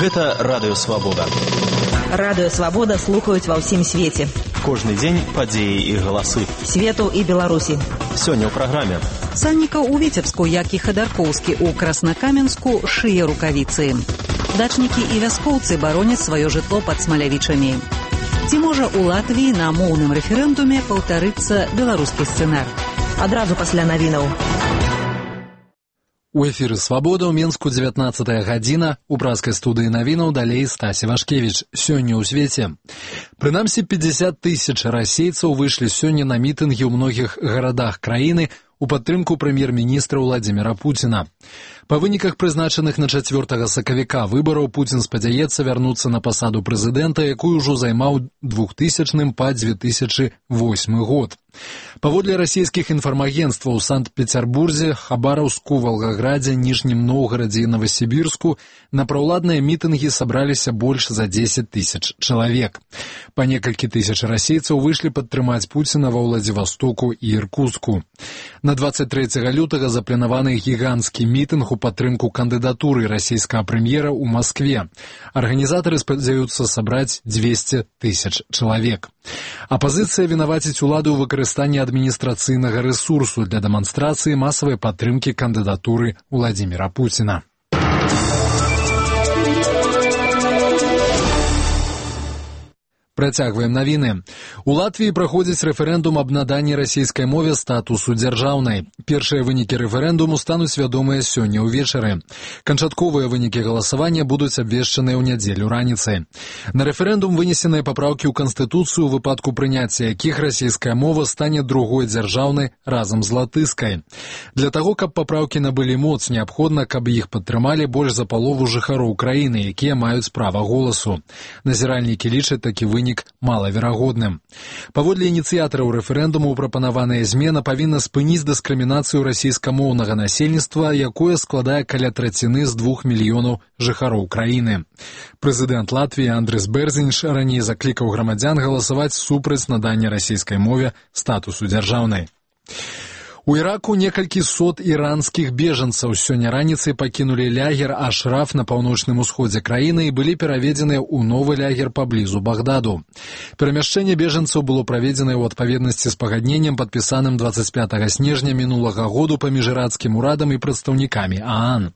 Гэта Радыё Свабода. Радыё Свабода слухаюць ва ўсім свеце. Кожны дзень падзеі і галасы. Свету і Беларусі. Сёння ў праграме. Санніка ў Віцебску, як і Хадаркоўскі ў Краснакаменску, шые рукавіцы. Дачнікі і вяскоўцы бароняць сваё жытло пад Смалявічамі. Ці можа ў Латвіі на моўным рэферэндуме паўтарыцца беларускі сцэнар? Адразу пасля навінаў. У эфіры «Свабода» ў Менску 19 гадзіна. У праскай студыі навінаў далей Стася Вашкевіч. Сёння ў свеце. Прынамсі 50 тысяч расейцаў выйшлі сёння на мітынгі ў многіх гарадах краіны у падтрымку прэм'ер-міністра Владзіміра Пуціна. Па выніках прызначаных на 4 сакавіка выбараў Пуцін спадзяецца вярнуцца на пасаду прэзідэнта, якую ўжо займаў 2000 па 2008 год. Паводле расійскіх інфармагенцтваў у Санкт-Пецярбурзе, Хабараўску, Валгаградзе, Ніжнім Новгарадзе і Новасібірску на праўладныя мітынгі сабраліся больш за 10 тысяч чалавек. Па некалькі тысяч расейцаў выйшлі падтрымаць Пуціна ва Владзівастоку і Іркутску. На 23 лютага запланаваны гіганцкі мітынг у падтрымку кандыдатуры расійскага прэм'ера ў Маскве. Арганізатары спадзяюцца сабраць 200 тысяч чалавек. Апазіцыя вінаваціць уладу ў выкарыстанні адміністрацыйнага рэсурсу для дэманстрацыі масавай падтрымкі кандыдатуры Владзіміра Пуціна. Працягваем навіны. У Латвіі праходзіць рэферэндум аб наданні расійскай мове статусу дзяржаўнай. Першыя вынікі рэферэндуму стануць вядомыя сёння ўвечары. Канчатковыя вынікі галасавання будуць абвешчаныя ў нядзелю раніцай. На рэферэндум вынесеныя папраўкі ў Канстытуцыю, у выпадку прыняцця якіх расійская мова стане другой дзяржаўнай разам з латышскай. Для таго, каб папраўкі набылі моц, неабходна, каб іх падтрымалі больш за палову жыхароў краіны, якія маюць права голасу. Назіральнікі лічаць такі вынік малаверагодным. Паводле ініцыятараў рэферэндуму прапанаваная змена павінна спыніць дыскрымінацыю расійскамоўнага насельніцтва, якое складае каля траціны з 2 мільёнаў жыхароў краіны. Прэзідэнт Латвіі Андрыс Бэрзініш раней заклікаў грамадзян галасаваць супраць надання расійскай мове статусу дзяржаўнай. У Іраку некалькі сот іранскіх бежанцаў сёння раніцай пакінулі лягер Ашраф на паўночным усходзе краіны і былі пераведзеныя ў новы лягер паблізу Багдаду. Перамяшчэнне бежанцаў было праведзенае ў адпаведнасці з пагадненнем, падпісаным 25 снежня мінулага году паміж ірацкім урадам і прадстаўнікамі ААН.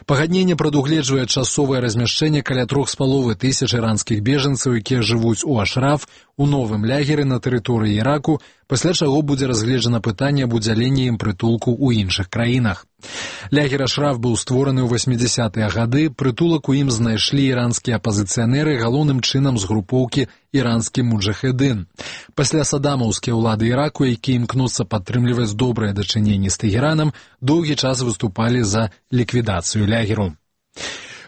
Пагадненне прадугледжвае часовае размяшчэнне каля 3,5 тысяч іранскіх бежанцаў, якія жывуць у Ашраф, у новым лягеры на тэрыторыі Іраку, пасля чаго будзе разгледжана пытанне аб удзяленні ім прытулку ў іншых краінах. Лягер Ашраф быў створаны ў 80-е гады, прытулак у ім знайшлі іранскія апазіцыянеры, галоўным чынам з групоўкі «Іранскі муджахедын». Пасля садамаўскія ўлады Іраку, якія імкнуцца падтрымліваць добрыя дачыненні з Тэгеранам, доўгі час выступалі за ліквідацыю лягеру.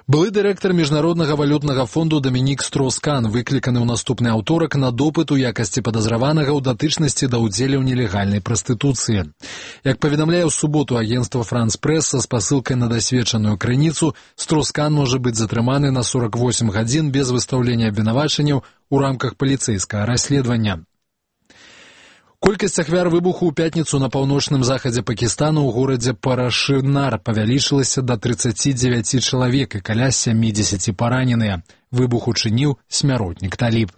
Былы дырэктар Міжнароднага валютнага фонду Дамінік Строскан выкліканы ў наступны аўторак на допыт у якасці падазраванага ў датычнасці да ўдзелу ў нелегальнай прастытуцыі. Як паведамляе ў суботу агенцтва «Франс Прэс» са спасылкай на дасведчаную крыніцу, Строскан можа быць затрыманы на 48 гадзін без выстаўлення абвінавачанняў у рамках паліцэйскага расследавання. Колькасць ахвяр выбуху ў пятніцу на паўночным захадзе Пакістана ў горадзе Парашинар павялічылася да 39 чалавек і каля 70 параненыя. Выбух учыніў смяротнік Таліб.